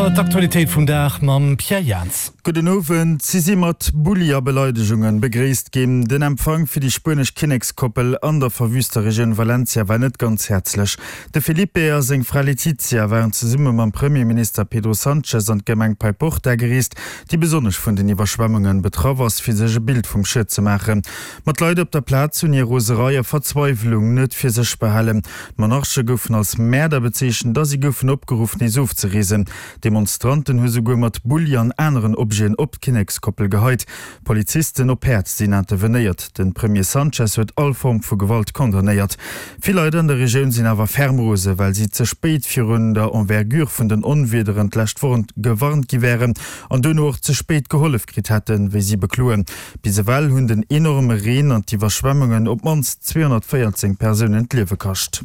Auer, d'Aktualitéit vum Dag mam Pierre Jans. Gudden Owend. Si si mat Bulli a Beleidegungen begréisst ginn. Den Empfang fir déi spuenesch Kinnekskoppel an der verwüster Regioun Valencia war net ganz häerzlech. De Felipe a seng Fra Letizia waren zesumme mam Premierminister Pedro Sanchez an d'Gemeng Paiporta gereest, déi besonnesch vun den Iwwerschwemmungen betraff ass, fir sech e Bild vum Schued ze maachen. Ma d'Leit op der Plaz hunn hir Roserei a Verzweiwlung net fir sech behalen. D'Monarche goufen als Mäerder bezeechent a si goufen opgeruff, nees ofzereesen. Demonstranten hu souguer mat Bulli an aneren Objeten op d'Kinnekskoppel geheit. Polizisten op Päerd sinn intervenéiert. De Premier Sanchez huet all Form vu Gewalt condamnéiert. Vill Leit an der Regioun sinn awer ferm rose, well si ze spéit virun der Envergure vun den Onwiederen d'lescht Woch gewarnt gi wären an duerno och ze spéit gehollef kritt hätten, wéi si bekloen. Bis ewell hunn den enorme Reen an d'Iwwerschwemmungen op d'mannst 214 Persounen d'Liewe kascht.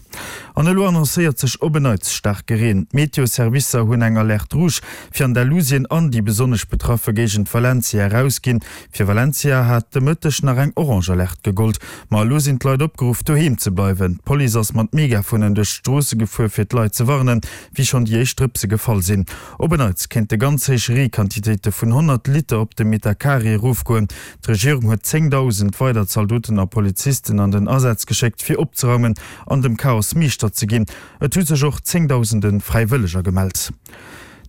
An elo annoncéiert sech op en Neits staarke Reen. D'Meteo-Servicer hunn eng Alerte rouge fir Andalusien an déi besonnesch betraffe Géigend Valencia erausginn. Fir Valencia hat de Mëtteg nach eng orange Alerte gegollt. Ma elo sinn d'Leit opgeruff doheem ze bleiwen. D'Police ass mat Megafonen duerch d'Stroosse gefuer fir d'Leit ze warnen, wéi schonn déi éischt Drëpse gefall sinn. Op en Neits kéinte ganz héich Reequantitéite vun 100 Liter op de Metercarré erofgoen. D'Regierung huet 10.000 weider Zaldoten a Polizisten an den Asaz geschéckt, fir opzeraumen an dem Chaos Meeschter ze ginn. Et hu sech och zéngdausende Fräiwëlleger gemellt.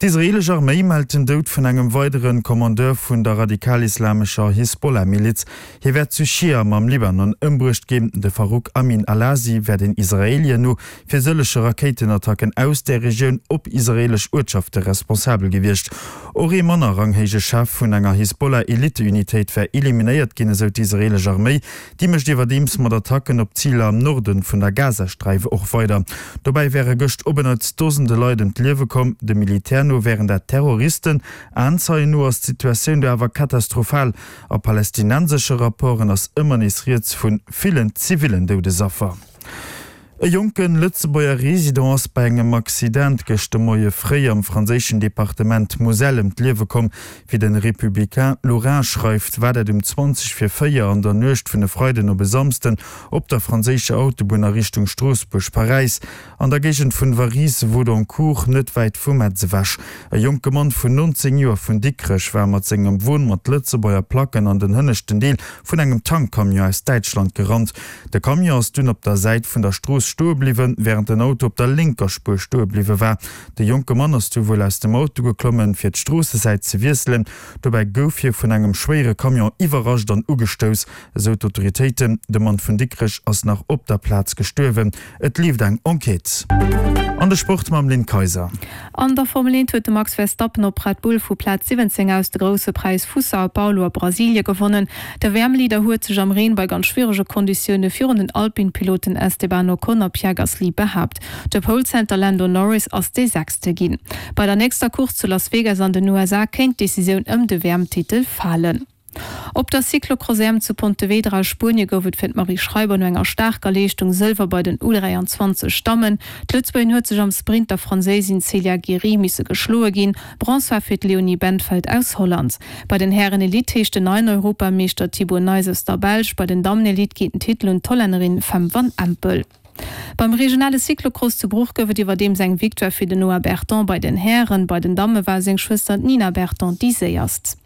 D'israeelesch Arméi mellt den Doud vun engem weidere Kommandeur vun der radikal-islamescher Hisbollah-Miliz. Hie wär zu Schiam am Libanon ëmbruecht ginn. De Farouk Amin Alasi wär den Israeelien no fir sëllege Rakéitenattacken aus där Regioun op israeelesch Uertschafte responsabel gewiescht. Och ee manner ranghéije Chef vun enger Hisbollah-Eliteunitéit wär eliminéiert ginn, esou d'israeelesch Arméi. Déi mécht iwwerdeems mat Attacken op Ziler am Norde vun der Gazasträif och weider. Dobäi wäre gëscht op en Neits Dosende Leit ëm d'Liewe komm. Dem Militär no wären dat Terroristen. Aenzeien no ass d'Situatioun do awer katastrophal. A palästinensesche Rapporten ass ëmmer nees rieds vu villen zivillen Doudesaffer. E jonke Lëtzebuerger Resident ass bei engem Accident gëscht de Moie fréi am franséischen Departement Moselle ëm d'Liewe komm. Wéi de Républicain Lorrain schreift, war dat um 20 vir 4 an der Nuecht vun e Freiden op e Samsden op der franséischer Autobunn a Richtung Stroossbuerg-Paräis. An der Géigend vun Varise-Vaudoncourt, net wäit vu Metz ewech. E jonke Mann vun 19 Joer vun Dikrech war mat sengem Won mat Lëtzebuerger Placken an den hënneschten Deel vun engem Tankcamion aus Däitschland gerannt. De Camion ass dunn op der Säit vun der Strooss stoe bliwwen, wärend den Auto op der lénker Spuer stoe bliwwe war. De jonke Mann ass du wuel aus dem Auto geklommen, fir d'Stroossesäit ze wiesselen. Dobäi gouf hie vun engem schwéiere Camion iwwerrascht an ugestouss, esou d'Autoritéiten. De Mann vun Dikrech ass nach op der Plaz gestuerwen. Et leeft eng Enquête. An de Sport mam Lynn Kayser. An der Formel 1 huet de Max Verstappen op Red Bull vu Plaz 17 aus de Grousse Präis vu Sao Paulo a Brasilie gewonnen. De WM-Leader huet sech am Reen bei ganz schwierege Konditioune virun den Alpine-Piloten Esteban Ocon a Pierre Gasly behaapt. De Pole-Center Lando Norris ass dee Sechste ginn. Bei der nächster Course zu Las Vegas an den USA kéint d'Decisioun ëm de WM-Titel falen. Op der Cyclocross-EM zu Pontevedra a Spuenie gouf et fir d'Marie Schreiber no enger staarker Leeschtung Sëlwer bei den U23 Dammen. D'Lëtzebuergerin huet sech am Sprint der Franséisin Célia Gery misse geschloe ginn. Bronz war fir d'Leonie Bentveld aus Holland. Bei den Hären Elite heescht den neien Europameeschter Thibau Nys aus der Belsch. Bei den Dammen Elite geet den Titel un d'Hollännerin Fem van Empel. Beim regionale Cyclocross zu Bruch gouf et iwwerdeems eng Victoire fir den Noah Berton bei den Hären. Bei den Damme war seng Schwëster d'Nina Berton déi séierst.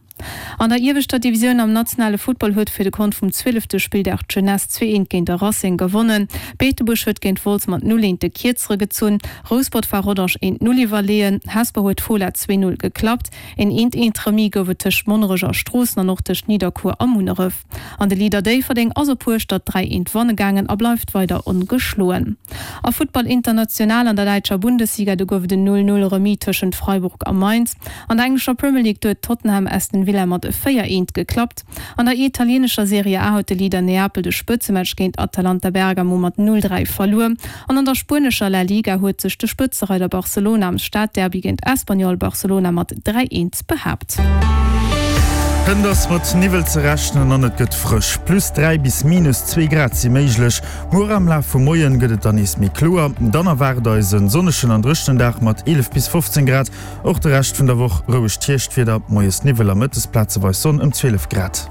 An der ieweschter Divisioun am nationale Futtball huet fir de Kont vum zwielefte Spilldag d'Jeunesse 2 eent géint de Racing gewonnen. Beetebuerg huet géint Wolz mat 0 eent de Kierzere gezunn. Rouspert war Rodange 1 0 iwwerleeën. Hesper huet Fola 2 0 geklappt. Een 1 1 Remis gouf et tëscht Monnerech a Stroossen an och tëscht Nidderkuer a Munneref. An de Leader Déifferdeng ass op Hueschtert 3 eent wanne gaangen a bleift weider ongeschloen. A Futtball international an der däitscher Bundesliga, do gouf et en 0, 0 Remis tëschent Freiburg a Mainz. An der englescher Premier League, do huet Tottenham Aston Villa mat 4, 1 geklappt. An der italienescher Serie A huet de Leader Neapel de Spëtzematch géint Atalanta Bergamo mat 0, 3 verluer. An an der spuenescher La Liga huet sech de Spëtzereider Barcelona am Stadderby géint Espanyol Barcelona mat 3, 1 behaapt. Hënt ass mat Niwwel ze rechnen an et gëtt frësch. Plus 3 bis minus 2 Grad si méiglech. Muer am Laf vum Moien gëtt et dann nees méi kloer. Dann erwaart eis en sonnegen an dréchenen Dag mat 11 bis 15 Grad. Och de Rescht vun der Woch rouegt Hierschtwieder, moies Niwwel a mëttes plazeweis Sonn ëm 12 Grad.